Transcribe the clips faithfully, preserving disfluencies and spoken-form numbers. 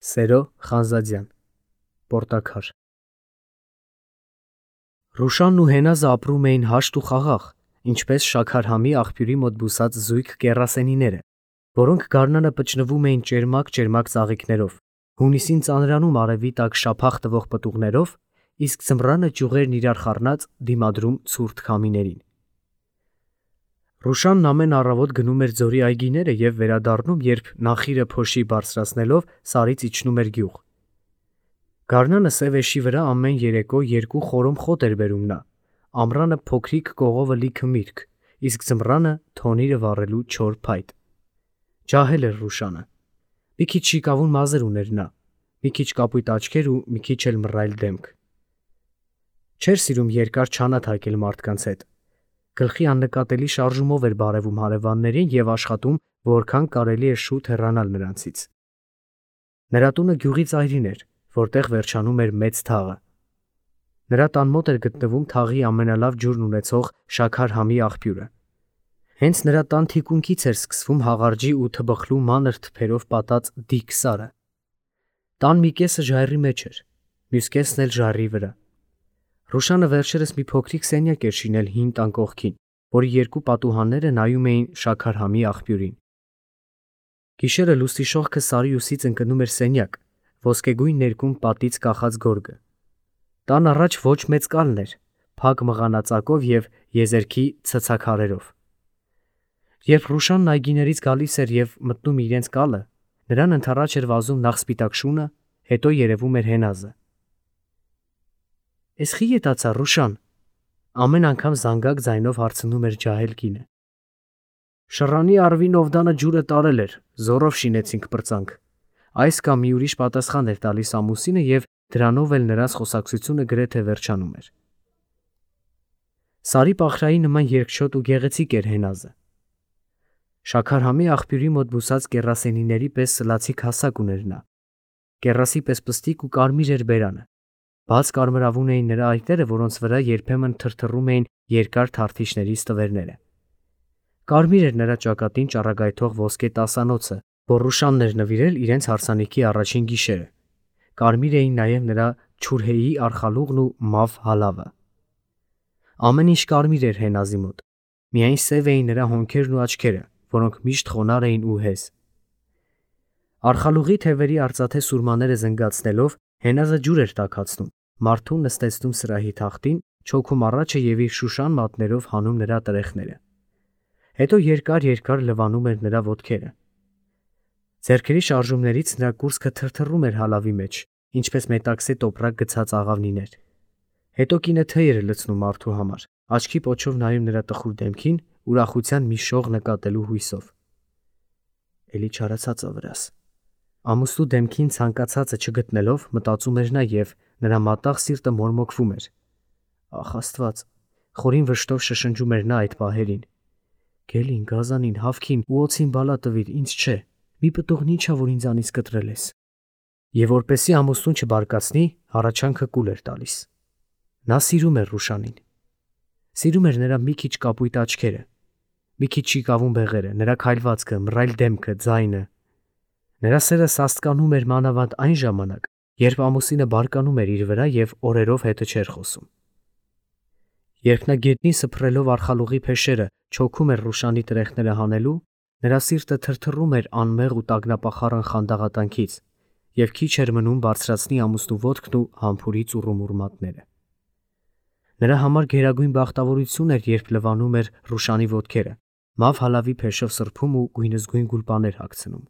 Սերո Խանզադյան, Պորտաքար։ Ռուշանն ու Հենազը ապրում էին հաշտ ու խաղաղ, ինչպես Շաքարհամի աղբյուրի մոտ բուսած զույգ կեռասենիները, որոնք գարնանը պճնվում էին ճերմակ-ճերմակ ծաղիկներով, հունիսին ծանրանում արևի տակ շափախ տվող պտուղներով, իսկ ձմռանը ճյուղերն իրար խառնած դիմադրում ցուրտ քամիներին։ Ռուշանն ամեն առավոտ գնում էր ձորի այգիները և վերադառնում, երբ նախիրը փոշի բարձրացնելով սարից իջնում էր գյուղ։ Գարնանը սև էշի վրա ամեն երեկո երկու խորոմ խոտ էր բերում նա, ամռանը փոքրիկ կողովը լիքը միրգ, իսկ ձմռանը թոնիրը վառելու չոր փայտ։ Ջահել էր Ռուշանը։ Մի քիչ շիկավուն մազեր ուներ նա, մի քիչ կապույտ աչքեր ու մի քիչ էլ մռայլ դեմք։ Չէր սիրում երկար չանաթ հագել մարդկանց հետ։ Գլխի աննկատելի շարժումով էր բարևում հարևաններին և աշխատում, որքան կարելի է շուտ հեռանալ նրանցից։ Նրա տունը գյուղի ծայրին էր, որտեղ վերջանում էր մեծ թաղը։ Նրա տան մոտ էր գտնվում թաղի ամենալավ ջուրն ունեցող Շաքարհամի աղբյուրը։ Հենց նրա տան թիկունքից էր սկսվում հաղարջի ու թբխլու մանր թփերով պատած դիք սարը։ Տան մի կեսը ժայռի մեջ էր, մյուս կեսն էլ ժայռի վրա։ Ռուշանը վերջերս մի փոքրիկ սենյակ էր շինել հին տան կողքին, որի երկու պատուհանները նայում էին Շաքարհամի աղբյուրին։ Գիշերը լուսնի շողքը սարի ուսից ընկնում էր սենյակ, ոսկեգույն ներկում պատից կախած գորգը։ Տան առաջ ոչ մեծ կալն էր, փակ մղանածակով և եզերքի ցցաքարերով։ Երբ Ռուշանն այգիներից գալիս էր և մտնում իրենց կալը, նրան ընդառաջ էր վազում նախ սպիտակ շունը, հետո երևում էր Հենազը։ «Էս խի ետացա, Ռուշան», ամեն անգամ զանգակ ձայնով հարցնում էր ջահել կինը։ «Շռանի առվին Օվդանը ջուրը տարել էր, զոռով շինեցինք պրծանք», այս կամ մի ուրիշ պատասխան էր տալիս ամուսինը և դրանով էլ նրանց խոսակցությունը գրեթե վերջանում էր։ Սարի պահրայի նման երկչոտ ու գեղեցիկ էր Հենազը։ Շաքարհամի աղբյուրի մոտ բուսած կեռասենիների պես սլացիկ հասակ ուներ նա։ Կեռասի պես պստիկ ու կարմիր էր բերանը։ Բաց կարմրավուն էին նրա այտերը, որոնց վրա երբեմն թրթռում էին երկար թարթիչների ստվերները։ Կարմիր էր նրա ճակատին ճառագայթող ոսկե տասանոցը, որ Ռուշանն էր նվիրել իրենց հարսանիքի առաջին գիշերը։ Կարմիր էին նաև նրա չուրհեի արխալուղն ու մավ հալավը։ Ամեն ինչ կարմիր էր Հենազի մոտ, միայն սև էին նրա հոնքերն ու աչքերը, որոնք միշտ խոնարհ էին ու հեզ։ Արխալուղի թևերի արծաթե սուրմաները զնգացնելով Հենազը ջուր էր տաքացնում, մարդուն նստեցնում սրահի թախտին, չոքում առաջը և իր շուշան մատներով հանում նրա տրեխները։ Հետո երկար-երկար լվանում էր նրա ոտքերը։ Ձեռքերի շարժումներից նրա կուրծքը թրթռում էր հալավի մեջ, ինչպես մետաքսե տոպրակ գցած աղավնիներ։ Հետո կինը թեյ էր լցնում մարդու համար, աչքի պոչով նայում նրա տխուր դեմքին, ուրախության մի շող նկատելու հույսով։ Էլի չարացածը վրաս։ Ամուսնու դեմքին ցանկացածը չգտնելով մտածում էր նա և նրա մատաղ սիրտը մորմոքվում էր։ Ախ Աստված, խորին վշտով շշնջում էր նա այդ պահերին։ Գելին, գազանին, հավքին ու օձին բալա տվիր, ինձ չէ, մի պտուղն ինչա, որ ինձանից կտրել ես։ Եվ որպեսզի ամուսնուն չբարկացնի, հառաչանքը կուլ էր տալիս։ Նա սիրում էր Ռուշանին։ Սիրում էր նրա մի քիչ կապույտ աչքերը, մի քիչ շիկավուն բեղերը, նրա քայլվածքը, մռայլ դեմքը, ձայնը։ Նրա սերը սաստկանում էր մանավանդ այն ժամանակ, երբ ամուսինը բարկանում էր իր վրա և օրերով հետը չէր խոսում։ Երբ նա գետնին սփռելով արխալուղի փեշերը չոքում էր Ռուշանի տրեխները հանելու, նրա սիրտը թրթռում էր անմեղ ու տագնապախառն խանդաղատանքից, և քիչ էր մնում բարձրացնի ամուսնու ոտքն ու համբուրի ծուռումուռ մատները։ Նրա համար գերագույն բախտավորություն էր, երբ լվանում էր Ռուշանի ոտքերը, մավ հալավի փեշով սրբում ու գույնզգույն գուլպաներ հագցնում։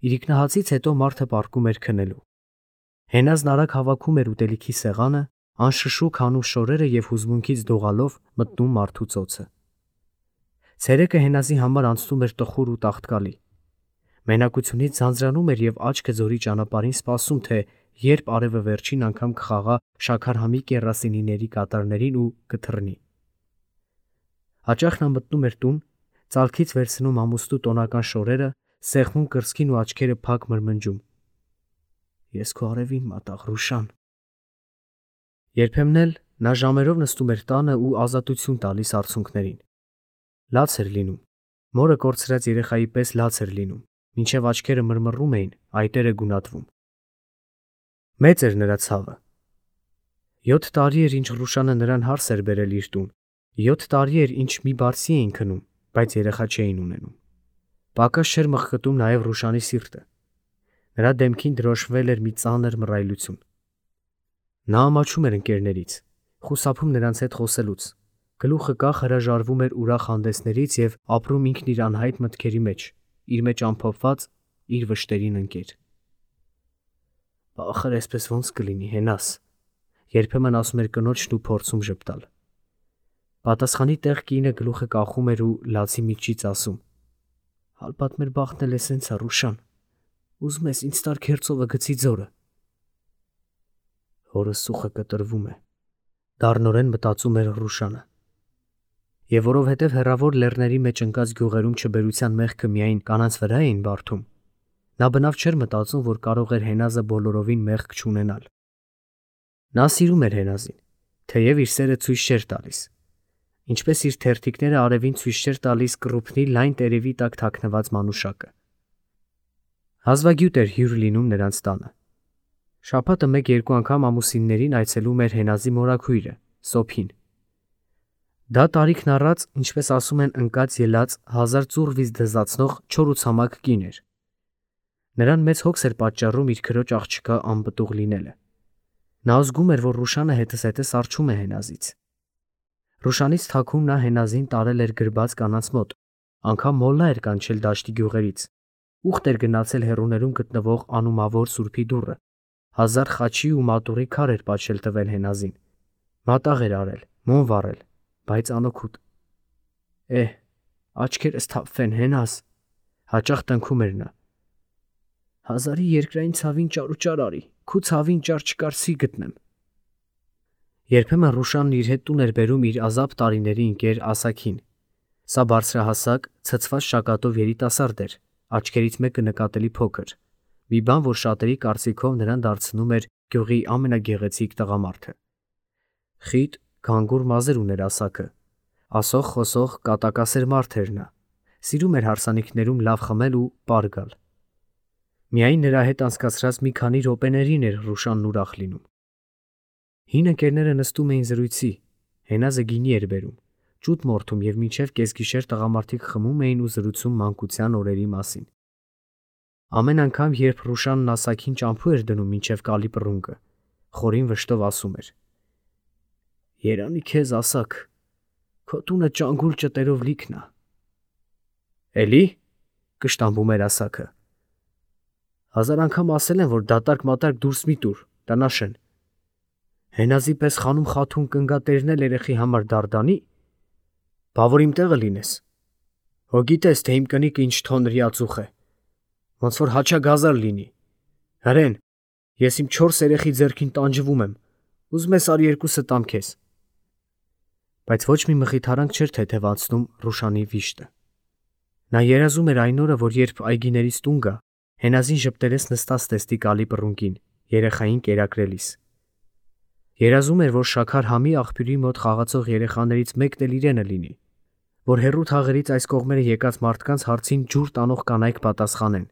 Իրիկնահացից հետո մարդը պառկում էր քնելու։ Հենազն արագ հավաքում էր ուտելիքի սեղանը, անշշուկ հանում շորերը և հուզմունքից դողալով մտնում մարդու ծոցը։ Ցերեկը Հենազի համար անցնում էր տխուր ու տաղտկալի։ Մենակությունից ձանձրանում էր և աչքը ձորի ճանապարհին սպասում, թե երբ արևը վերջին անգամ կխաղա Շաքարհամի կեռասենիների կատարներին ու կթռնի։ Հաճախ նա մտնում էր տուն, ծալքից վերցնում ամուսնու տոնական շորերը, սեղմում կրծքին ու աչքերը փակ մրմնջում. Ես քո արևին մատաղ, Ռուշան։ Երբեմն էլ նա ժամերով նստում էր տանը ու ազատություն տալիս արցունքներին։ Լաց էր լինում, մորը կորցրած երեխայի պես լաց էր լինում, Մինչև աչքերը մրմռում էին, այտերը գունատվում։ Մեծ էր նրա ցավը։ Յոթ տարի էր, ինչ Ռուշանը նրան հարս էր բերել իր տուն, յոթ տարի էր, ինչ մի բարձի էին քնում, բայց երեխա չէին ունենում։ Պակաս չէր մխկտում նաև Ռուշանի սիրտը։ Նրա դեմքին դրոշվել էր մի ծանր մռայլություն։ Նա ամաչում էր ընկերներից, խուսափում նրանց հետ խոսելուց, գլուխը կախ հրաժարվում էր ուրախ հանդեսներից և ապրում ինքն իր անհայտ մտքերի մեջ, իր մեջ ամփոփված, իր վշտերին ընկեր։ Ախր այսպես ոնց կլինի, Հենաս, երբեմն ասում էր կնոջն ու փորձում ժպտալ։ Պատասխանի տեղ կինը գլուխը կախում էր ու լացի միջից ասում. «Հալպատ մեր բախտն էլ է սենց ա, Ռուշան, ուզում ես ինձ տար քերծովը գցի ձորը»։ Հորս սուխը կտրվում է, դառնորեն մտածում էր Ռուշանը։ Եվ որովհետև հեռավոր լեռների մեջ ընկած գյուղերում չբերության մեղքը միայն կանանց վրա էին բարդում, նա բնավ չէր մտածում, որ կարող էր Հենազը բոլորովին մեղք չունենալ։ Նա սիրում էր Հենազին, թեև իր սերը ցույց չէր տալիս, ինչպես իր թերթիկները արևին ցույց չէր տալիս կռուփնի լայն տերևի տակ թաքնված մանուշակը։ Հազվագյուտ էր հյուր լինում նրանց տանը։ Շաբաթը մեկ-երկու անգամ ամուսիններին այցելում էր Հենազի մորաքույրը, Սոփին։ Դա տարիքն առած, ինչպես ասում են, ընկած ելած, հազար ծուռ վիզ դզացնող չոր ու ցամաք կին էր։ Նրան մեծ հոգս էր պատճառում իր քրոջ աղջկա անպտուղ լինելը։ Նա զգում էր, որ Ռուշանը հետզհետե սառչում է Հենազից։ Ռուշանից թաքուն նա Հենազին տարել էր գրբաց կանանց մոտ, անգամ մոլլա էր կանչել դաշտի գյուղերից, ուխտ էր գնացել հեռուներում գտնվող անումավոր սուրբի դուռը, հազար խաչի ու մատուռի քար էր պատշել տվել Հենազին, մատաղ էր արել, մոմ վառել, բայց անօգուտ։ Էհ, աչքերս թափվեն, Հենազ, հաճախ տնքում էր նա։ Հազարի երկրային ցավին ճարուճար արի, քու ցավին ճար չկարծի գտնեմ։ Երբեմն Ռուշանն իր հետ տուն էր բերում իր ազապ տարիների ընկեր Ասաքին։ Սա բարձրահասակ, ցցված շակատով երիտասարդ էր, աչքերից մեկը նկատելի փոքր, մի բան, որ շատերի կարծիքով նրան դարձնում էր գյուղի ամենագեղեցիկ տղամարդը։ Խիտ, գանգուր մազեր ուներ Ասաքը, ասող խոսող կատակասեր մարդ էր նա, սիրում էր հարսանիքներում լավ խմել ու պար գալ։ Միայն նրա հետ անցկացրած մի քանի րոպեներին էր Ռուշանն ուրախ լինում։ Հին ընկերները նստում էին զրույցի, Հենազը գինի էր բերում, ճուտ մորթում և մինչև կեսգիշեր տղամարդիկ խմում էին ու զրուցում մանկության օրերի մասին։ Ամեն անգամ, երբ Ռուշանն Ասաքին ճամփու էր դնում մինչև կալի պռունգը, խորին վշտով ասում էր. «Երանի քեզ, Ասաք, քո տունը ճանգուլ ճտերով լիքն ա»։ Էլի, կշտամբում էր Ասաքը։ Հազար անգամ ասել են, որ դատարկ-մատարկ դուրս մի տուր, տնաշեն։ Հենազի պես խանում խաթուն կնգատերնել երեխի համար դարդանի, բա որ իմ տեղը լինես։ Հո գիտես, թե իմ կնիկը ինչ թոնրի ածուխ է, ոնց որ հաչագազար լինի։ Հրեն, ես իմ չորս երեխի ձեռքին տանջվում եմ, ուզում ես արի երկուսը տամ քեզ։ Բայց ոչ մի մխիթարանք չէր թեթևացնում Ռուշանի վիշտը։ Նա երազում էր այն օրը, որ երբ այգիներից տուն գա, Հենազին ժպտերես նստած տեստի կալի պռունգին, երեխային կերակրելիս։ Երազում էր, որ շաքար համի աղբյուրի մոտ խաղացող երեխաներից մեկն էլ իրենը լինի, որ հեռու թաղերից այս կողմերը եկած մարդկանց հարցին ջուր տանող կանայք պատասխանեն.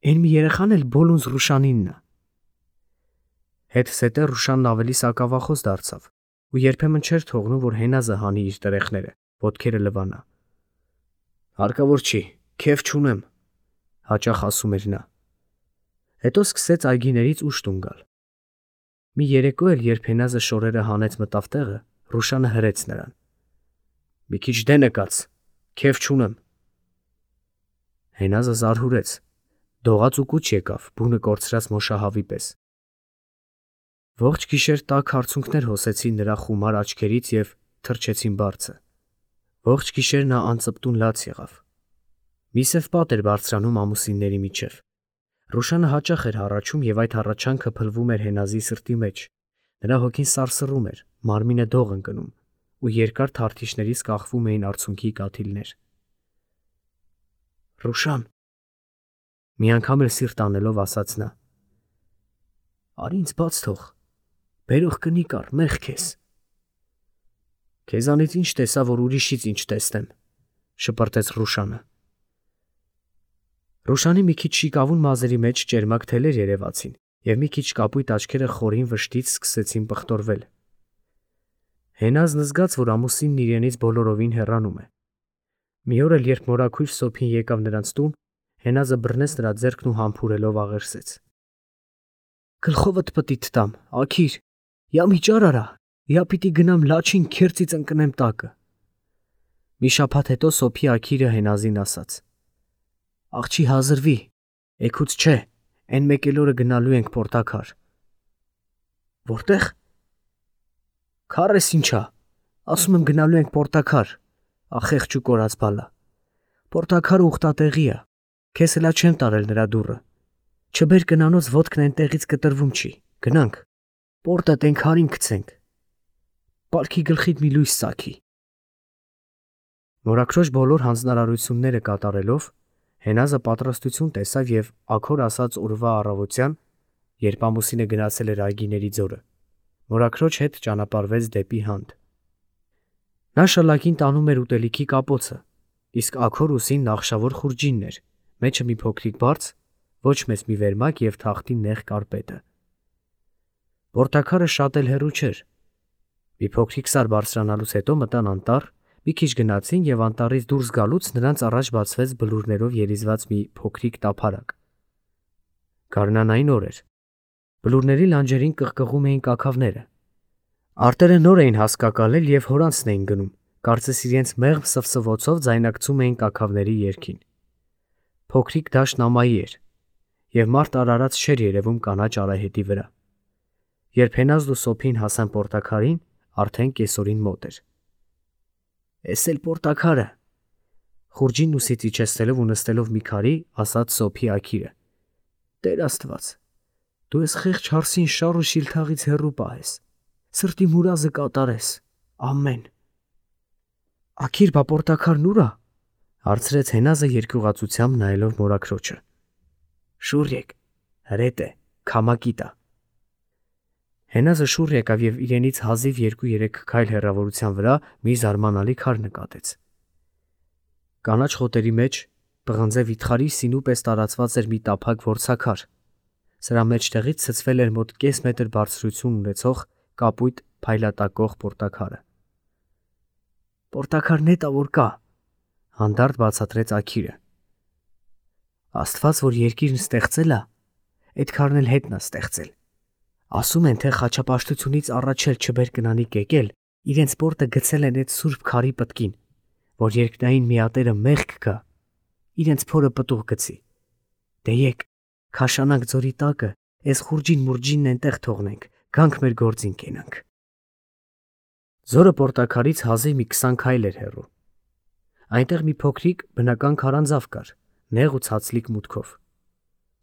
«Էն մի երեխան էլ Բոլունզ Ռուշանինն ա»։ Հետզհետե Ռուշանն ավելի սակավախոս դարձավ ու երբեմն չէր թողնում, որ Հենազը հանի իր տերեխները, ոտքերը լվանա։ «Հարկավոր չի, քեֆ չունեմ», հաճախ ասում էր նա։ Հետո սկսեց այգիներից ուշ տուն գալ։ Մի երեկո էլ, երբ Հենազը շորերը հանեց մտավ տեղը, Ռուշանը հրեց նրան. «Մի քիչ դենը կաց, քեֆ չունեմ»։ Հենազը զարհուրեց, դողաց ու կուչ եկավ, բունը կորցրած մոշահավի պես։ Ողջ գիշեր տաք հարցունքներ հոսեցին նրա խումար աչքերից և թրջեցին բարձը։ Ողջ գիշեր նա անծպտուն լաց եղավ։ Մի սև պատ էր բարձրանում ամուսինների միջև։ Ռուշանը հաճախ էր հառաչում և այդ հառաչանքը փլվում էր Հենազի սրտի մեջ, նրա հոգին սարսռում էր, մարմինը դող ընկնում, ու երկար թարթիչներից կախվում էին արցունքի կաթիլներ։ Ռուշան, մի անգամ էլ սիրտ անելով ասաց նա, արի ինձ բաց թող, բերող կնիկ առ, մեղ քեզ։ Քեզանից ինչ տեսա, որ ուրիշից ինչ տեսնեմ, շպրտեց Ռուշանը։ Ռուշանի մի քիչ շիկավուն մազերի մեջ ճերմակ թելեր երևացին, և մի քիչ կապույտ աչքերը խորին վշտից սկսեցին պղտորվել։ Հենազն զգաց, որ ամուսինն իրենից բոլորովին հեռանում է։ Մի օր էլ, երբ մորաքույր Սոփին եկավ նրանց տուն, Հենազը բռնեց նրա ձեռքն ու համբուրելով աղերսեց. «Գլխովդ պտի տամ, աքիր, յա միջար արա, յա պիտի գնամ լաչին քերծից ընկնեմ տակը»։ Մի շաբաթ հետո Սոփի աքիրը Հենազին ասաց. «Աղջի հազրվի, էգուց չէ, էն մեկ էլ օրը գնալու ենք Պորտաքար»։ «Որտե՞ղ»։ «Քարես ինչա, ասում եմ գնալու ենք Պորտաքար, ախեղճ ու կորած բալա։ Պորտաքարը ուխտատեղի ա, քեզ հլա չեմ տարել նրա դուռը։ Չբեր կնանոց ոտքն էնտեղից կտրվում չի, գնանք, պորտը տեն քարին գցենք։ Պալքի գլխիդ մի լույս սարքի»։ Մորաքրոջ բոլոր հանձնարարությունները կատարելով, Հենազը պատրաստություն տեսավ և աքոր ասած օրվա առավոտյան, երբ ամուսինը գնացել էր այգիների ձորը, մորաքրոջ հետ ճանապարհվեց դեպի Հանդ։ Նա շալակին տանում էր ուտելիքի կապոցը, իսկ աքոր ուսին նախշավոր խուրջինն էր, մեջը մի փոքրիկ բարձ, ոչ մեծ մի վերմակ և թախտի նեղ կարպետը։ Պորտաքարը շատ էլ հեռու չէր։ Մի փոքրիկ սար բարձրանալուց հետո մտան անտառ, մի քիչ գնացին և անտառից դուրս գալուց նրանց առաջ բացվեց բլուրներով երիզված մի փոքրիկ տափարակ։ Գարնանային օր էր։ Բլուրների լանջերին կղկղում էին կաքավները։ Արտերը նոր էին հասկակալել և հորանցն էին գնում, կարծես իրենց մեղմ սվսվոցով ձայնակցում էին կաքավների երգին։ Փոքրիկ դաշտն ամայի էր, և մարդ արարած չէր երևում կանաչ արահետի վրա։ Երբ Հենազն ու Սոփին հասան Պորտաքարին, արդեն կեսօրին մոտ էր։ «Էս էլ Պորտաքարը», խուրջինն ուսից իջեցնելով ու նստելով մի քարի, ասաց Սոփի աքիրը։ «Տեր Աստված, դու ես խեղճ հարսին շառ ու շիլթաղից հեռու պահես, սրտի մուրազը կատարես, ամեն»։ «Աքիր, բա Պորտաքարն ուր ա»։ Հարցրեց Հենազը երկյուղածությամբ նայելով մորաքրոջը։ «Շուռ եկ, հրետ է, քամակի տա»։ Հենազը շուռ եկավ և իրենից հազիվ երկու-երեք քայլ հեռավորության վրա մի զարմանալի քար նկատեց։ Կանաչ խոտերի մեջ, պղնձե վիթխարի սինու պես տարածված էր մի տափակ որցաքար, սրա մեջտեղից ցցվել էր մոտ կես մետր բարձրություն ունեցող կապույտ փայլատակող պորտաքարը։ «Պորտաքարն էտ ա որ կա», հանդարտ բացատրեց աքիրը։ «Աստված, որ երկիրն ստեղծել ա, էդ քարն էլ հետն ա ստեղծել։ Ասում են, թե խաչապաշտությունից առաջ էլ չբեր կնանի կեկել, իրենց պորտը գցել են էդ սուրբ քարի պտկին, որ երկնային միատերը մեղք գա, իրենց փորը պտուղ գցի։ Դե եկ, քաշանանք ձորի տակը, էս խուրջին մուրջինն էնտեղ թողնենք, գանք մեր գործին կենանք»։ Ձորը Պորտաքարից հազիվ մի քսան քայլ էր հեռու։ Այնտեղ մի փոքրիկ բնական քարանձավ կար, նեղ ու ցածլիկ մուտքով։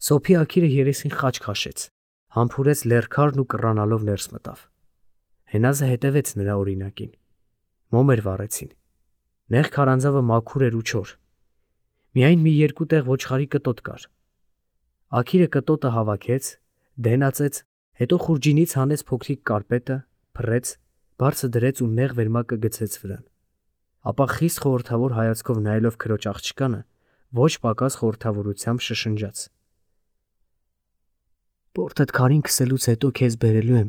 Սոփի աքիրը երեսին խաչ քաշեց, համբուրեց լեռքարն ու կռանալով ներս մտավ։ Հենազը հետևեց նրա օրինակին։ Մոմեր վառեցին։ Նեղ քարանձավը մաքուր էր ու չոր։ Միայն մի երկու տեղ ոչխարի կտոտ կար։ Աքիրը կտոտը հավաքեց, դենացեց, հետո խուրջինից հանեց փոքրիկ կարպետը, փռեց, բարձը դրեց ու նեղ վերմակը գցեց վրան։ Ապա խիստ խորհրդավոր հայացքով նայելով քրոջ աղջկանը, ոչ պակաս խորհրդավորությամբ շշնջաց. «Պորտդ քարին քսելուց հետո քեզ բերելու եմ,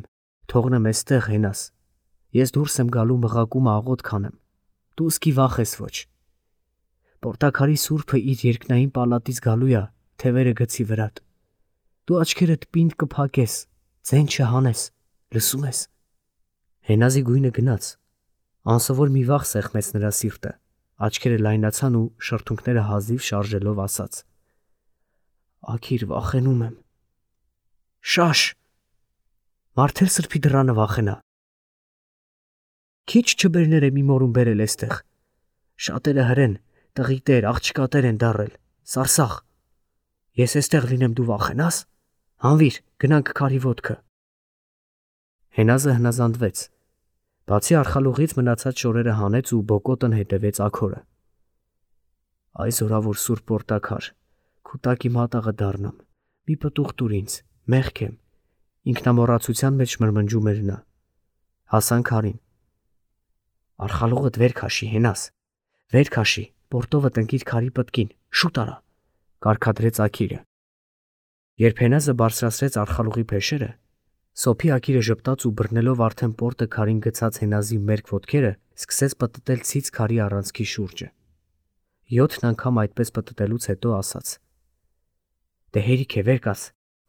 թողնեմ էստեղ, Հենազ։ Ես դուրս եմ գալու մղակումը աղոտ քանեմ, դու ուսկի վախես ոչ։ Պորտաքարի սուրբը իր երկնային պալատից գալու ա, թևերը գցի վրատ։ Դու աչքերդ պինդ կփակես, ձեն չհանես, լսում ես»։ Հենազի գույնը գնաց, անսովոր մի վախ սեղմեց նրա սիրտը, աչքերը լայնացան ու շրթունքները հազիվ շարժելով ասաց. «Աքիր, վախենում եմ»։ «Շաշ, մարդ էլ սրբի դռանը վախենա։ Քիչ չբերներ է մի մորում բերել էստեղ։ Շատերը հրեն, տղիտեր, աղջկատեր են դառել, սարսախ։ Ես էստեղ լինեմ, դու վախենաս։ Հանվիր, գնանք քարի ոտքը»։ Հենազը հնազանդվեց։ Բացի արխալուղից մնացած շորերը հանեց ու բոկոտն հետևեց աքորը։ «Այ զորավոր սուրբ Պորտաքար, քու տակի մատաղը դառնամ, մի պտուղ տուր ինձ, մեղք եմ», ինքնամոռացության մեջ մրմնջում էր նա։ Հասան քարին։ «Արխալուղդ վեր քաշի, Հենազ, վեր քաշի, պորտովը տնկիր քարի պտկին, շուտ արա, կարգադրեց Աքիրը։ Երբ Հենազը բարձրացրեց արխալուղի փեշերը, Սոփի Աքիրը ժպտաց ու բռնելով արդեն պորտը քարին գցած Հենազի մերկ ոտքերը, սկսեց պտտել ցից քարի առանցքի շուրջը։ Յոթն անգամ այդպես պտտելուց հետո ասաց. «Դե հերիք է, վեր կաց,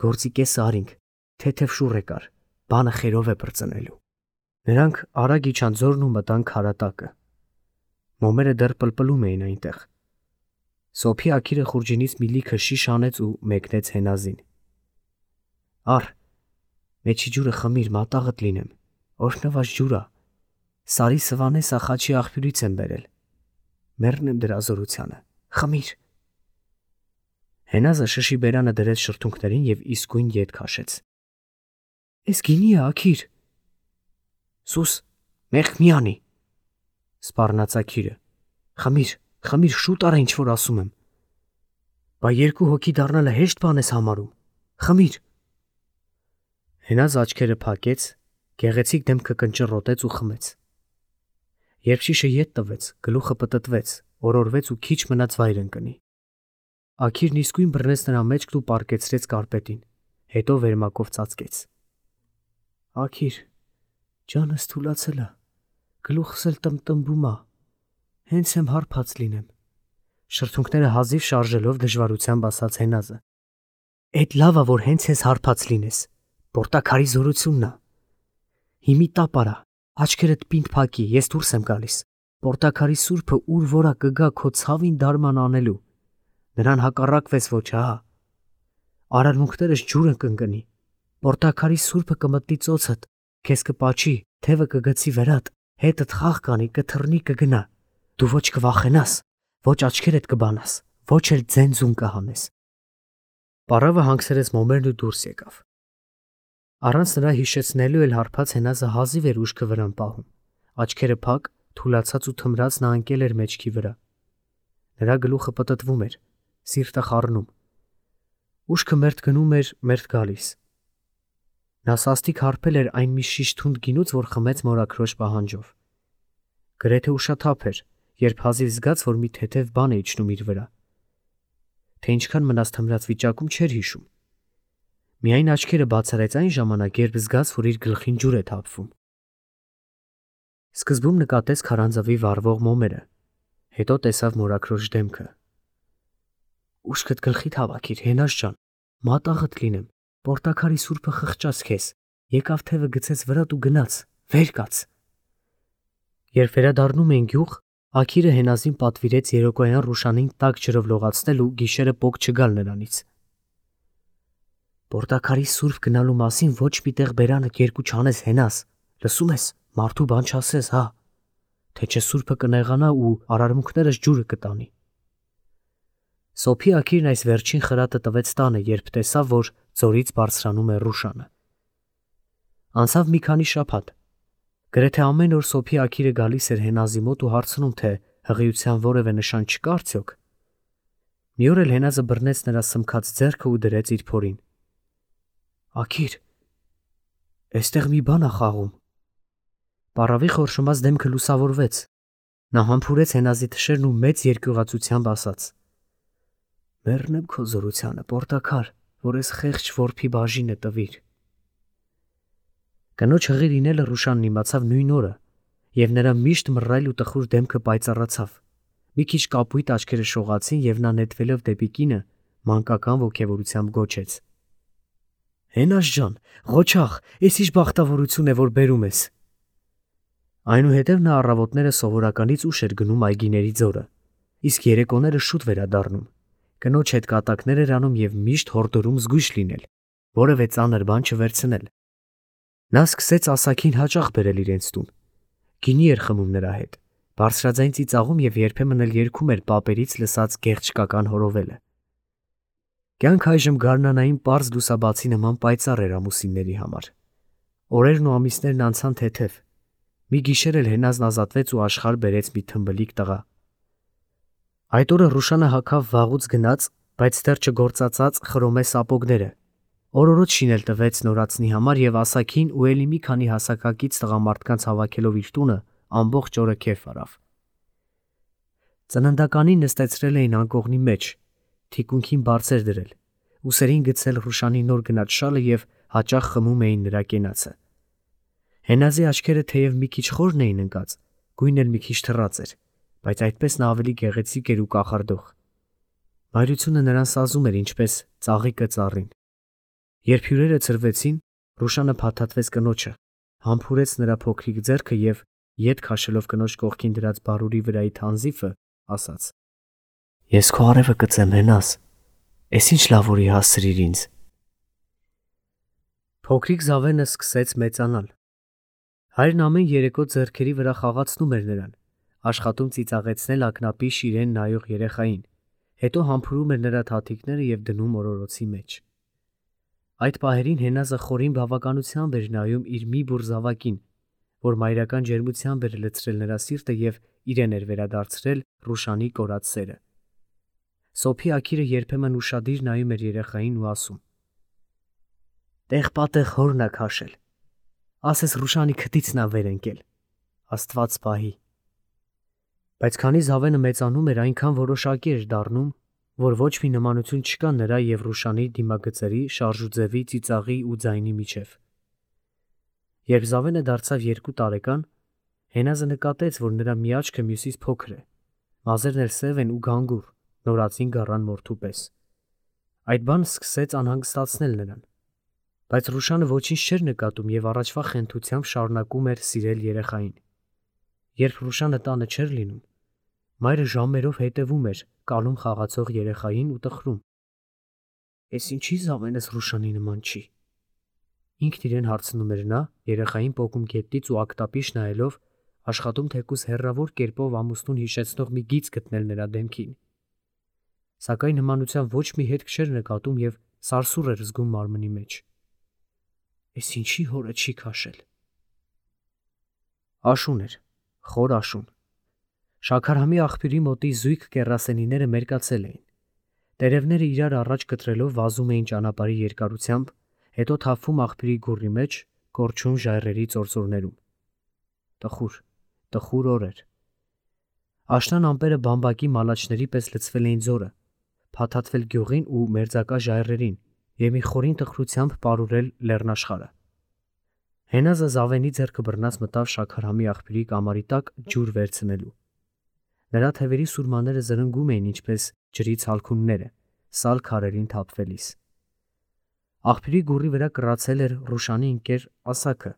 գործի կեսը արինք, թեթև շուռ եկար, բանը խերով է բրծնելու»։ Նրանք արագ իջան ձորն ու մտան քարատակը։ Մոմերը դեռ պլպլում էին այնտեղ։ Սոփի Աքիրը խուրջինից մի լիքը շիշ հանեց ու մեկնեց Հենազին։ «Առ, մեջի ջուրը խմիր, մատաղդ լինեմ, օրհնված ջուր ա, Սարի Սվանես աղջի աղբյուրից եմ բերել, մեռնեմ դրա զորությանը, խմիր»։ Հենազը շշի բերանը դրեց շրթունքներին և իսկույն ետ քաշեց։ «Էս գինի է, Աքիր»։ «Սուս, մեղք մի անի», սպառնաց Աքիրը։ «Խմիր, խմիր, շուտ արա ինչ որ ասում եմ։ Բա երկու հոգի դառնալը հեշտ բան ես համարում, խմիր»։ Հենազը աչքերը փակեց, գեղեցիկ դեմքը կնճռոտեց ու խմեց։ Երբ շիշը ետ տվեց, գլուխը պտտվեց, օրորվեց ու քիչ մնաց վայր ընկնի։ Աքիրն իսկույն բռնեց նրա մեջքն ու պառկեցրեց կարպետին, հետո վերմակով ծածկեց։ «Աքիր, ջանս թուլացել ա, գլուխս էլ տմտմբում ա, հենց եմ հարբած լինեմ», շրթունքները հազիվ շարժելով դժվարությամբ ասաց Հենազը։ «Էդ լավ ա, որ հենց ես հարբած լինես, պորտաքարի զորությունն ա։ Հիմի տապ արա, աչքերդ պինդ փակի, ես դուրս եմ գալիս, պորտաքարի սուրբը ուր որա կգա քո ցավին դարման անելու, նրան հակառակվես ոչ, ահա։ Արարմունքներս ջուրը կընկնի, պորտաքարի սուրբը կմտնի ծոցդ, քեզ կպաչի, թևը կգցի վերատ, հետդ խաղ կանի, կթռնի, կգնա, դու ոչ կվախենաս, ոչ աչքերդ կբանաս, ոչ էլ ձենձուն կհանես»։ Պառավը հանգցրեց մոմերն ու դուրս եկավ։ Առանց նրա հիշեցնելու էլ հարբած Հենազը հազիվ էր ուշքը վրան պահում, աչքերը փակ, թուլացած ու թմրած նա ընկել էր մեջքի վրա։ Նրա գլուխը պտտվում էր, սիրտը խառնում։ Ուշքը մերթ գնում էր, մերթ գալիս։ Նա սաստիկ հարբել էր այն մի շիշ թունդ գինուց, որ խմեց մորաքրոջ պահանջով։ Գրեթե ուշաթափ էր, երբ հազիվ զգաց, որ մի թեթև բան է իջնում իր վրա։ Թե ինչքան մնաց թմրած վիճակում չէր հիշում։ Միայն աչքերը բացարեց այն ժամանակ, երբ զգաց, որ իր գլխին ջուր է թափվում։ Սկզբում նկատեց քարանձավի վառվող մոմերը, հետո տեսավ մորաքրոջ դեմքը։ «Ուշքդ գլխիդ հավաքիր, Հենազ ջան, մատաղդ լինեմ, պորտաքարի սուրբը խղճաց քեզ, եկավ թևը գցեց վրատ ու գնաց, վեր կաց»։ Երբ վերադառնում էին գյուղ, Աքիրը Հենազին պատվիրեց երեկոյան Ռուշանին տաք ջրով լողացնել ու գիշերը պոկ չգալ նրանից։ «Պորտաքարի սուրբ գնալու մասին ոչ մի տեղ բերանդ երկու չանես, Հենազ, լսում ես, մարդու բան չասես, հա, թե չէ սուրբը կնեղանա ու արարմունքներս ջուրը կտանի»։ Սոփի Աքիրն այս վերջին խրատը տվեց տանը, երբ տեսավ, որ ձորից բարձրանում է Ռուշանը։ Անցավ մի քանի շաբաթ։ Գրեթե ամեն օր Սոփի Աքիրը գալիս էր Հենազի մոտ ու հարցնում, թե հղիության որևէ նշան չկա արդյոք։ Մի օր էլ Հենազը բռնեց նրա սմքած ձեռքը ու դրեց իր փորին։ «Աքիր, էստեղ մի բան ա խաղում»։ Պառավի խորշմած դեմքը լուսավորվեց։ Նա համբուրեց Հենազի թշերն ու մեծ երկյուղացությամբ ասաց. «Մեռնեմ քո զորությանը, պորտաքար, որ ես խեղճ որբի բաժինը տվիր»։ Կնոջ հղի լինելը Ռուշանն իմացավ նույն օրը, և նրա միշտ մռայլ ու տխուր դեմքը պայծառացավ։ Մի քիչ կապույտ աչքերը շողացին, և նա նետվելով դեպի կինը, մանկական ոգևորությամբ գոչեց. «Հենազ ջան, ղոչաղ, էս ինչ բախտավորություն է, որ բերում ես»։ Այնուհետև նա առավոտները սովորականից ուշ էր գնում այգիների ձորը, իսկ երեկոները շուտ վերադառնում, կնոջ հետ կատակներ էր անում և միշտ հորդորում զգույշ լինել, որևէ ծանր բան չվերցնել։ Նա սկսեց ասաքին հաճախ բերել իրենց տուն։ Գինի էր խմում նրա հետ, բարձրաձայն ծիծաղում և երբեմն էլ երգում էր պապերից լսած գեղեցկական հորովելը։ Կյանքը այժմ գարնանային պարզ լուսաբացի նման պայծառ էր ամուսինների համար։ Օրերն ու ամիսներն անցան թեթև։ Մի գիշեր էլ Հենազն ազատվեց ու աշխարհ բերեց մի թմբլիկ տղա։ Այդ օրը Ռուշանը հագավ վաղուց գնաց, բայց դեռ չգործածած խրոմե սապոգները, օրորոց շինել տվեց նորածնի համար և ասաքին ու էլի մի քանի հասակակից տղամարդկանց հավաքելով իր տունը ամբողջ օրը քեֆ արավ։ Ծննդականին նստեցրել էին անկողնի մեջ, թիկունքին բարձր դրել, ուսերին գցել Ռուշանի նոր գնած շալը և հաճախ խմում էին նրա կենացը։ Հենազի աչքերը թեև մի քիչ խորն էին ընկած, գույնն էլ մի քիչ թռած էր, բայց այդպես նա ավելի գեղեցիկ էր ու կախարդող։ Մայրությունը նրան սազում էր ինչպես ծաղիկը ծառին։ Երբ հյուրերը ցրվեցին, Ռուշանը փաթաթվեց կնոջը, համբուրեց նրա փոքրիկ ձեռքը և, ետ քաշելով կնոջ կողքին դրած բարուրի վրայի թանձիվը, ասաց. «Ես քո արևը կծեմ, Հենազ, էս ինչ լավ որի հասցրիր ինձ»։ Փոքրիկ Զավենը սկսեց մեծանալ։ Հայրն ամեն երեկո ձեռքերի վրա խաղացնում էր նրան, աշխատում ծիծաղեցնել ակնապի շիրեն նայող երեխային, հետո համբուրում էր նրա թաթիկները և դնում օրորոցի մեջ։ Այդ պահերին Հենազը խորին բավականությամբ էր նայում իր մի բուռ զավակին, որ մայրական ջերմությամբ էր լցրել նրա սիրտը և իրեն էր վերադարձրել Ռուշանի կորած սերը։ Սոփի աքիրը երբեմն ուշադիր նայում էր երեխային ու ասում. «Տեղ-պատեղ հորն ա քաշել, ասես Ռուշանի քթիցն ա վեր ընկել, Աստված պահի»։ Բայց քանի Զավենը մեծանում էր, այնքան որոշակի էր դառնում, որ ոչ մի նմանություն չկա նրա և Ռուշանի դիմագծերի, շարժուձևի, ծիծաղի ու ձայնի միջև։ Երբ Զավենը դարձավ երկու տարեկան, Հենազը նկատեց, որ նրա մի աչքը մյուսից փոքր է, մազերն էլ սև են ու գանգուր, նորածին գառան մորթու պես։ Այդ բանը սկսեց անհանգստացնել նրան։ Բայց Ռուշանը ոչինչ չէր նկատում և առաջվա խենթությամբ շարունակում էր սիրել երեխային։ Երբ Ռուշանը տանը չէր լինում, մայրը ժամերով հետևում էր կալում խաղացող երեխային ու տխրում. «Էս ինչի Զավենս Ռուշանի նման չի»։ Ինքն իրեն հարցնում էր նա, երեխային պոկում գետնից ու ակտապիշ նայելով, աշխատում թեկուզ հեռավոր կերպով ամուսնուն հիշեցնող մի գիծ գտնել նրա դեմքին։ Սակայն նմանության ոչ մի հետք չէր նկատում և սարսուռ էր զգում մարմնի մեջ։ Էս ինչի հորը չի քաշել։ Աշուն էր, խոր աշուն։ Շաքարհամի աղբյուրի մոտի զույգ կեռասենիները մերկացել էին։ Տերևները իրար առաջ կտրելով վազում էին ճանապարհի երկարությամբ, հետո թափվում աղբյուրի գուռի մեջ, կորչում ժայռերի ծործորներում։ Տխուր, տխուր օր էր։ Աշնան ամպերը բամբակի մալաչների պես լցվել էին ձորը, փաթաթվել գյուղին ու մերձակա ժայռերին և մի խորին տխրությամբ պարուրել լեռնաշխարհը։ Հենազը Զավենի ձեռքը բռնած մտավ շաքարհամի աղբյուրի կամարի տակ ջուր վերցնելու։ Նրա թևերի սուրմաները զրնգում էին ինչպես ջրի ցալքունները, սալ քարերին թափվելիս։ Աղբյուրի գուռի վրա կռացել էր Ռուշանի ընկեր ասաքը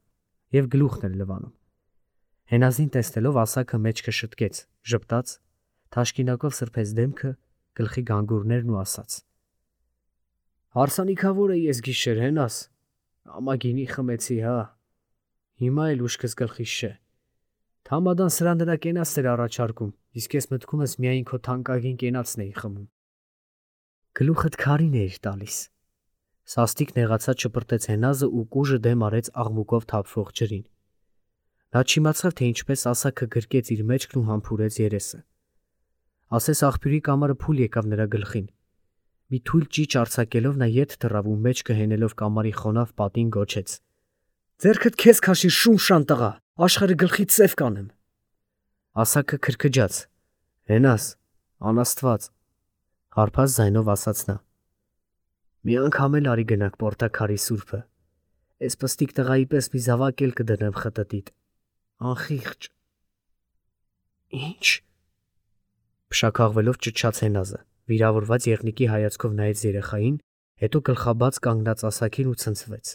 և գլուխն էր լվանում։ Հենազին տեսնելով ասաքը մեջքը շտկեց, ժպտաց, թաշկինակով սրբեց դեմքը, գլխի գանգուրներն ու ասաց. «Հարսանիքավոր է ես գիշեր, Հենազ, ամագինի խմեցի, հա, հիմա էլ ուշքս գլխիս չէ։ Թամադան սրա նրա կենացն էր առաջարկում, իսկ ես մտքումս միայն քո թանկագին կենացն էի խմում»։ Գլուխդ քարին էիր տալիս։ Սաստիկ նեղացած շպրտեց Հենազը ու կուժը դեմ արեց աղմուկով թափվող ջրին։ Նա չիմացավ, թե ինչպես ասաքը գրկեց իր մեջքն ու համբուրեց երեսը։ Ասես աղբյուրի կամարը փուլ եկավ նրա գլխին։ Մի թույլ ճիչ արձակելով նա ետ թռավ ու մեջքը հենելով կամարի խոնավ պատին գոչեց. «Ձեռքդ քեզ քաշիր, շուն տղա, աշխարհը գլխիդ սև կանեմ»։ Ասաքը քրքջաց. «Հենազ, անաստված», հարբած ձայնով ասաց նա։ «Մի անգամ էլ արի գնանք Պորտաքարի սուրբը, էս պստիկ տղայի պես մի զավակ էլ կդնեմ խտտիդ, անխիղճ»։ «Ի՞նչ»։ Փշաքաղվելով ճչաց Հենազը, վիրավորված եղնիկի հայացքով նայեց երեխային, հետո գլխաբաց կանգնած ասաքին ու ցնցվեց։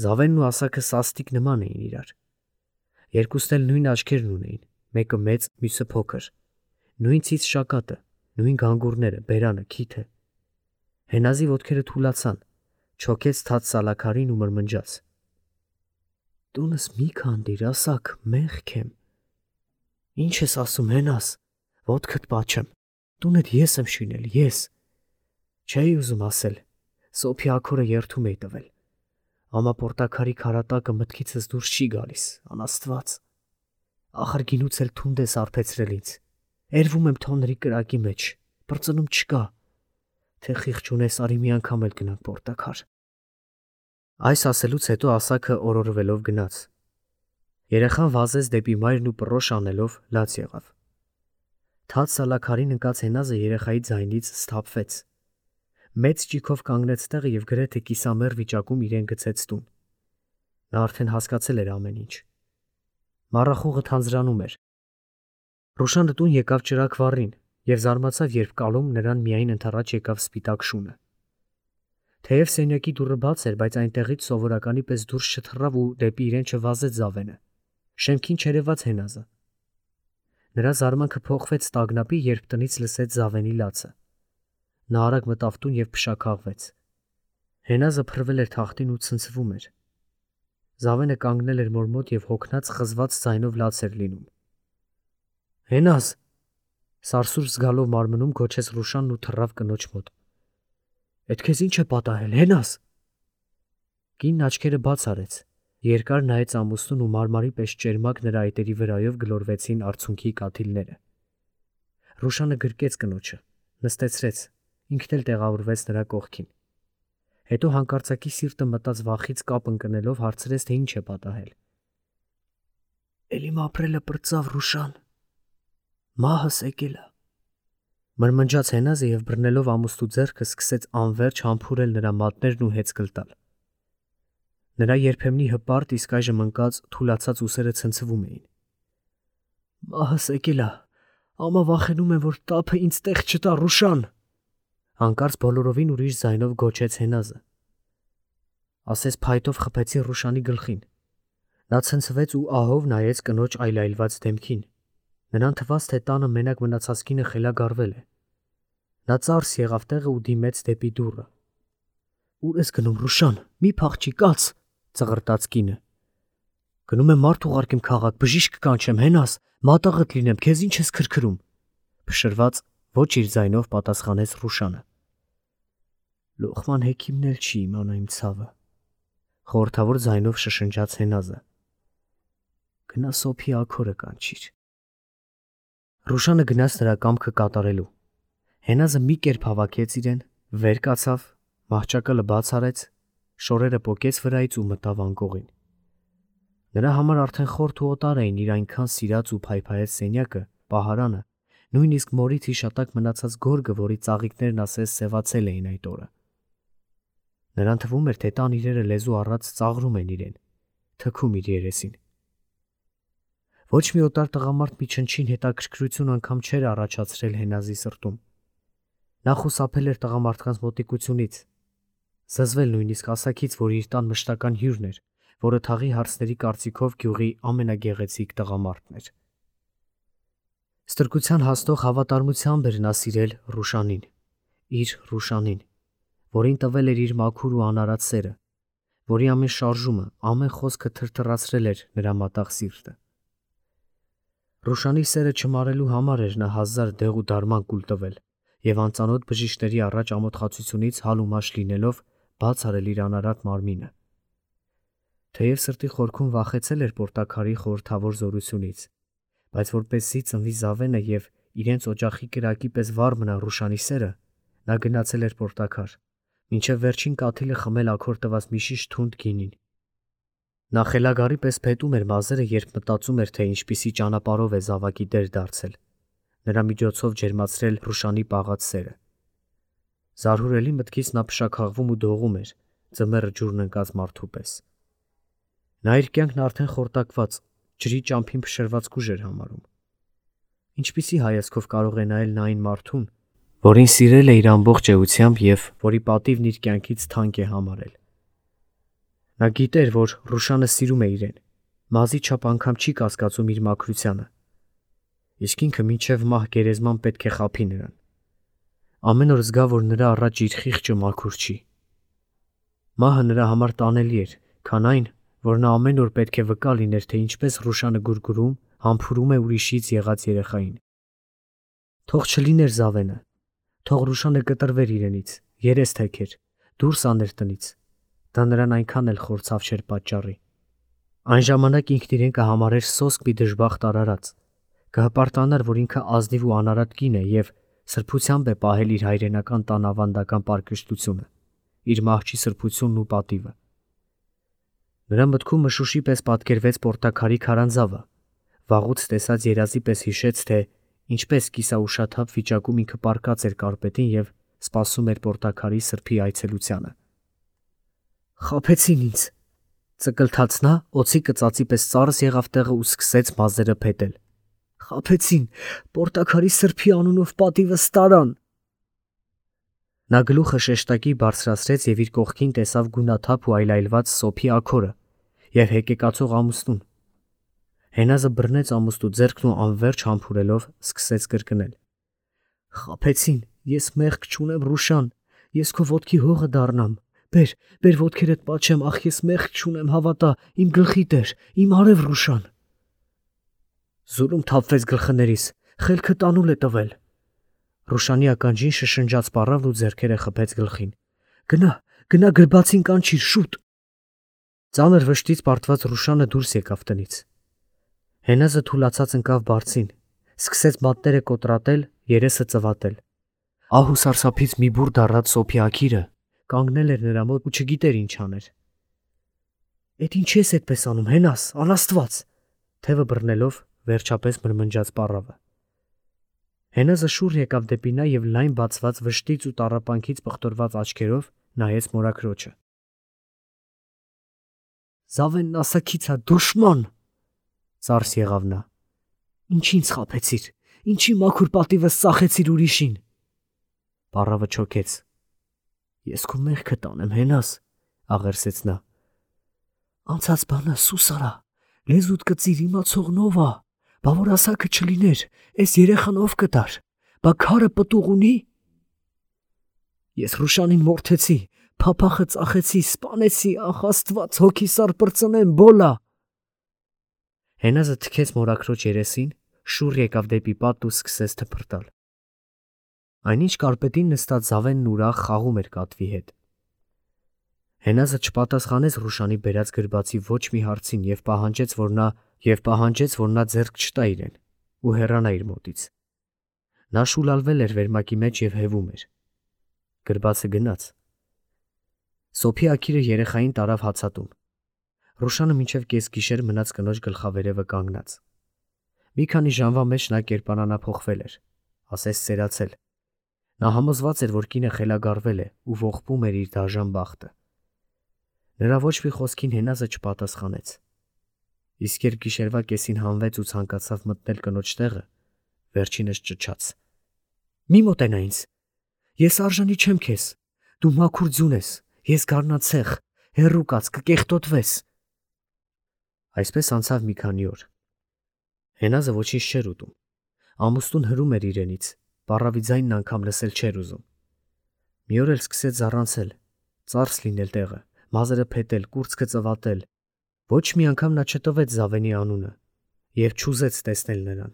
Զավենն ու ասաքը սաստիկ նման էին իրար։ Երկուսն էլ նույն աչքերն ունեին, մեկը մեծ, մյուսը փոքր, նույն ցից շակատը, նույն գանգուրները, բերանը, քիթը։ Հենազի ոտքերը թուլացան, չոքեց թաց սալաքարին ու մրմնջաց. «Տունս մի քանդիր, ասաք, մեղք եմ»։ «Ինչ ես ասում, Հենազ, ոտքդ պաչեմ, տունդ ես եմ շինել, ես»։ Չէի ուզում ասել, Սոփի աքորը երդում էի տվել։ Ամա Պորտաքարի քարատակը մտքիցս դուրս չի գալիս, անաստված։ Ախր գինուց էլ թունդ ես արբեցրել ինձ, էրվում եմ թոնրի կրակի մեջ, պրծնում չկա։ Թե խիղճ ունես, արի մի անգամ էլ գնանք Պորտաքար։ Այս ասելուց հետո ասաքը օրորվելով գնաց։ Երեխան վազեց դեպի մայրն ու պռոշ անելով լաց եղավ։ Թաց սալաքարին ընկած Հենազը երեխայի ձայնից սթափվեց։ Մեծ ճիգով կանգնեց տեղը եւ գրեթե կիսամեռ վիճակում իրեն գցեց տուն։ Նա արդեն հասկացել էր ամեն ինչ։ Մառախուղը թանձրանում էր։ Ռուշանը տուն եկավ ճրակ վառին եւ զարմացավ, երբ կալում նրան միայն ընդառաջ եկավ սպիտակ շունը։ Թեև սենյակի դուռը բաց էր, բայց այնտեղից սովորականի պես դուրս չթռավ ու դեպի իրեն չվազեց Զավենը։ Շեմքին չերևաց Հենազը։ Նրա զարմանքը փոխվեց տագնապի, երբ տնից լսեց Զավենի լացը։ Նա արագ մտավ տուն եւ փշաքաղվեց։ Հենազը փռվել էր թախտին ու ցնցվում էր։ Զավենը կանգնել էր մոր մոտ եւ հոգնած խզված ձայնով լաց էր լինում։ Հենազ, սարսուր զգալով մարմնում գոչեց Ռուշանն ու թռավ կնոջ մոտ։ Էդ քեզ ինչ է պատահել, Հենազ։ Կինն աչքերը բաց արեց, երկար նայեց ամուսնուն ու մարմարի պես ճերմակ նրա այտերի վրայով գլորվեցին արցունքի կաթիլները։ Ռուշանը գրկեց կնոջը, նստեցրեց, ինքն էլ տեղավորվեց նրա կողքին։ Հետո հանկարծակի սիրտը մտած վախից կապ ընկնելով հարցրեց, թե ինչ է պատահել։ Էլի ապրելը պրծավ, Ռուշան։ Մահս եկել է։ Մրմնջաց Հենազը եւ բռնելով ամուսնու ձեռքը սկսեց անverջ համբուրել նրա մատներն ու հեծկլ տալ։ Նրա երբեմնի հպարտ, իսկ այժմ ընկած, թուլացած ուսերը ցնցվում էին։ Մահս եկել է։ Ամա վախենում եմ, որ տափը ինձ տեղ չտա, Ռուշան։ Հանկարծ բոլորովին ուրիշ ձայնով գոչեց Հենազը։ Ասես փայտով խփեցին Ռուշանի գլխին։ Նա ցնցվեց ու ահով նայեց կնոջ այլայլված դեմքին։ Նրան թվաց, թե տանը մենակ մնացած կինը խելագարվել է։ Նա ծարս եղավ տեղը ու դիմեց դեպի դուռը։ Ուր ես գնում, Ռուշան, մի փախչի, կաց, ծղրտաց կինը։ Գնում եմ մարդ ուղարկեմ քաղաք, բժիշկ կանչեմ, Հենազ, մատաղդ լինեմ, քեզ ինչ ես քրքրում։ Փշրված ոչ իր ձայնով պատասխանեց Ռուշանը։ Լոխման հեքիմն էլ չի իմանա իմ ցավը։ Խորհրդավոր ձայնով շշնջաց Հենազը։ Գնա սոփի աքորը կանչիր։ Ռուշանը գնաց նրա կամքը կատարելու։ Հենազը մի կերպ հավաքեց իրեն, վեր կացավ, մահճակալը բաց արեց, շորերը պոկեց վրայից ու մտավ անկողին։ Նրա համար արդեն խորթ ու օտար էին իր այնքան սիրած ու փայփայեց սենյակը, պահարանը, նույնիսկ մորից հիշատակ մնացած գորգը, որի ծաղիկներն ասես սևացել էին այդ օրը։ Նրան թվում էր, թե տան իրերը լեզու առած ծաղրում են իրեն, թքում իր երեսին։ Ոչ մի օտար տղամարդ մի չնչին հետաքրքրություն անգամ չէր առաջացրել Հենազի սրտում։ Նա խուսափել էր տղամարդկանց մոտիկությունից, զզվել նույնիսկ ասակից, որ իր տան մշտական հյուրն էր, որը թաղի հարցների կարծիքով գյուղի ամենագեղեցիկ տղամարդն էր։ Ստրկության հաստող հավատարմությամբ էր նա սիրել Ռուշանին, իր Ռուշանին, որին տվել էր իր մաքուր ու անարատ սերը, որի ամեն շարժումը, ամեն խոսքը թրթռացրել էր նրա մատաղ սիրտը։ Ռուշանի սերը չմարելու համար էր նա հազար դեղ ու դարման կուլ տվել եւ անծանոթ բժիշկների առաջ ամոթխացությունից հալ ու մաշ լինելով բաց արել իր անարատ մարմինը։ Թեև սրտի խորքում վախեցել էր Պորտակարի խորհրդավոր զորությունից, բայց որպեսզի ծնվի Զավենը եւ իրենց օջախի կրակի պես վառ մնա Ռուշանի սերը, նա գնացել էր Պորտակար, մինչև վերջին կաթիլը խմել աքոր տված մի շիշ թունդ գինին։ Նա խելագարի պես փետում էր մազերը, երբ մտածում էր, թե ինչպիսի ճանապարհով է զավակի դեր դարձել, նրա միջոցով ջերմացրել Ռուշանի պաղած սերը։ Զարհուրելի մտքից նա փշաքաղվում ու դողում էր, ձմեռը ջուրն ընկած մարդու պես։ Նա իր կյանքն արդեն խորտակված, ջրի ճամփին փշրված կուժ էր համարում։ Ինչպիսի հայացքով կարող է նայել նա այն մարդուն, որին սիրել է իր ամբողջ էությամբ եւ որի պատիվն իր կյանքից թանկ է համարել։ Նա գիտեր, որ Ռուշանը սիրում է իրեն, մազի չափ անգամ չի կասկածում իր մաքրությանը։ Իսկ ինքը մինչև մահ գերեզման պետք է խաբի նրան։ Ամեն օր զգա, որ նրա առաջ իր խիղճը մաքուր չի։ Մահը նրա համար տանելի էր, քան այն, որ նա ամեն օր պետք է վկա լիներ, թե ինչպես Ռուշանը գուրգուրում, համբուրում է ուրիշից եղած երեխային։ Թող չլիներ Զավենը, թող Ռուշանը կտրվեր իրենից, երես թեքեր, դուրս աներ տնից։ Դա նրան այնքան էլ խորցավ չէր պատճառի։ Այն ժամանակ ինքն իրեն կհամարեր սոսկ մի դժբախտ արարած, կհպարտանար, որ ինքը ազնիվ ու անարատ կին է եւ սրբությամբ է պահել իր հայրենական տան ավանդական պարկշտությունը, իր մահճի սրբությունն ու պատիվը։ Նրա մտքում մշուշի պես պատկերվեց Պորտակարի քարանձավը, վաղուց տեսած երազի պես հիշեց, թե ինչպես կիսաուշաթափ վիճակում ինքը պառկած էր կարպետին և սպասում էր պորտաքարի սրբի այցելությանը։ «Խաբեցին ինձ», ծկլթաց նա, օձի կծածի պես ծարս եղավ տեղը ու սկսեց մազերը փետել։ «Խաբեցին, պորտաքարի սրբի անունով պատիվս տարան»։ Նա գլուխը շեշտակի բարձրացրեց և իր կողքին տեսավ գունաթափ ու այլայլված սոփի աքորը և հեկեկացող ամուսնուն։ Հենազը բռնեց ամուստու ձեռքն ու անվերջ համբուրելով սկսեց կրկնել. «Խաբեցին, ես մեղք չունեմ, Ռուշան, ես քո ոտքի հողը դառնամ, բեր, բեր ոտքերդ պաչեմ, ախ ես մեղք չունեմ, հավատա, իմ գլխի տեր, իմ արև Ռուշան»։ Զուրում թափվեց գլխներիս, խելքը տանուլ է տվել։ Ռուշանի ականջին շշնջաց պառավն ու ձեռքերը խփեց գլխին։ «Գնա, գնա գրբացին կանչիր, շուտ»։ Ծանր վշտից պարտված Ռուշանը դուրս եկավ տնից։ Հենազը թուլացած ընկավ բարձին, սկսեց մատները կոտրատել, երեսը ծվատել։ Ահ ու սարսափից մի բուռ դառած սոփի աքիրը կանգնել էր նրա մոտ ու չգիտեր ինչ աներ։ «Էդ ինչ ես էդպես անում, Հենաս, անաստված», թևը բռնելով վերջապես մրմնջաց պառավը։ Հենազը շուռ եկավ դեպի նա և լայն բացված վշտից ու տառապանքից պղտորված աչքերով նայեց մորաքրոջը։ «Զավենն ասաքից ա, դուշման», ծարս եղավ նա։ «Ինչ ինձ խաբեցիր, ինչի մաքուր պատիվս ծախեցիր ուրիշին»։ Պառավը չոքեց։ «Ես քո մեղքը տանեմ, Հենաս», աղերսեց նա։ «Անցած բանը սուս արա, լեզուդ կծիր, իմացողն ով ա, բա որ ասաքը չլիներ, էս երեխան ով կտար, բա քարը պտուղ ունի»։ «Ես Ռուշանին մորթեցի, փափախը ծախեցի, սպանեցի, ախ Աստված, հոգիսար պրծնեմ, բոլա»։ Հենազը թքեց մորաքրոջ երեսին, շուռ եկավ դեպի պատն ու սկսեց թփրտալ։ Այնինչ կարպետին նստած Զավենն ուրախ խաղում էր կատվի հետ։ Հենազը չպատասխանեց Ռուշանի բերած գրբացի ոչ մի հարցին և պահանջեց, որ նա և պահանջեց, որ նա ձեռք չտա իրեն ու հեռանա իր մոտից։ Նա շուլալվել էր վերմակի մեջ և հևում էր։ Գրբացը գնաց։ Սոփի աքիրը երեխային տարավ հացատում։ Ռուշանը մինչև կեսգիշեր մնաց կնոջ գլխավերևը կանգնած։ Մի քանի ժամվա մեջ նա կերպարանափոխվել էր, ասես սերացել։ Նա համոզված էր, որ կինը խելագարվել է ու ողբում էր իր դաժան բախտը։ Նրա ոչ մի խոսքին Հենազը չպատասխանեց։ Իսկ երբ գիշերվա կեսին հանվեց ու ցանկացավ մտնել կնոջ տեղը, վերջինս ճչաց. «Մի մոտենա ինձ, ես արժանի չեմ քեզ, դու մաքուր ձյուն ես, ես գառնացեղ, հեռու կաց, կկեղտոտվես»։ Այսպես անցավ մի քանի օր։ Հենազը ոչինչ չէր ուտում։ Ամուսնուն հրում էր իրենից, պառավի ձայնն անգամ լսել չէր ուզում։ Մի օր էլ սկսեց զառանցել, ծարս լինել տեղը, մազերը փետել, կուրծքը ծվատել։ Ոչ մի անգամ նա չտվեց Զավենի անունը և չուզեց տեսնել նրան։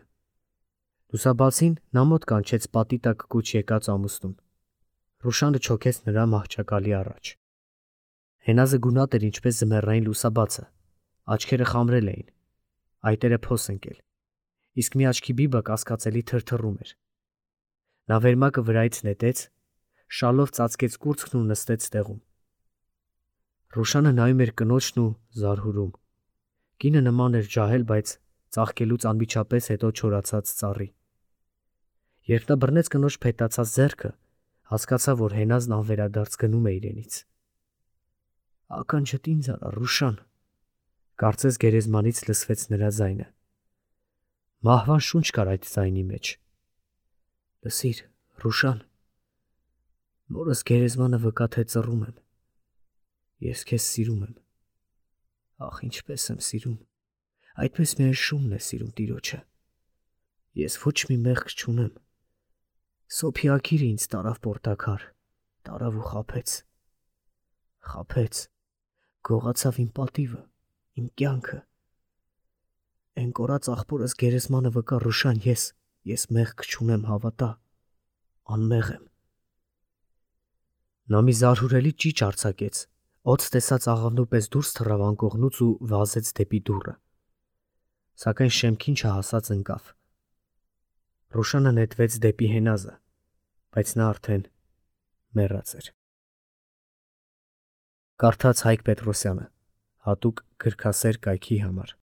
Լուսաբացին նա մոտ կանչեց պատի տակ կուչ եկած ամուսնուն։ Ռուշանը չոքեց նրա մահճակալի առաջ։ Հենազը գունատ էր ինչպես ձմեռային լուսաբացը, աչքերը խամրել էին, այտերը փոս ընկել, իսկ մի աչքի բիբը կասկածելի թրթռում էր։ Նա վերմակը վրայից նետեց, շալով ծածկեց կուրծքն ու նստեց տեղում։ Ռուշանը նայում էր կնոջն ու զարհուրում։ Կինը նման էր ջահել, բայց ծաղկելուց անմիջապես հետո չորացած ծառի։ Երբ նա բռնեց կնոջ փետացած ձեռքը, հասկացավ, որ Հենազն անվերադարձ գնում է իրենից։ «Ականջդ ինձ արա, Ռուշան», կարծես գերեզմանից լսվեց նրա ձայնը։ Մահվան շունչ կար այդ ձայնի մեջ։ «Լսիր, Ռուշան, մորս գերեզմանը վկա թե ծռում եմ։ Ես քեզ սիրում եմ։ Ախ, ինչպես եմ սիրում, այդպես միայն շունն է սիրում տիրոջը։ Ես ոչ մի մեղք չունեմ։ Սոփի աքիրը ինձ տարավ պորտաքար, տարավ ու խաբեց։ Խաբեց, գողացավ իմ պատիվը, իմ կյանքը։ Էն կորած աղբորս գերեզմանը վկա, Ռուշան, ես, ես մեղք չունեմ, հավատա, անմեղ եմ»։ Նա մի զարհուրելի ճիչ արձակեց, օձ տեսած աղավնու պես դուրս թռավ անկողնուց ու վազեց դեպի դուռը։ Սակայն շեմքին չհասած ընկավ։ Ռուշանը նետվեց դեպի Հենազը, բայց նա արդեն մեռած էր։ Կարդաց Հայկ Պետրոսյանը, հատուկ գրքասեր կայքի համար։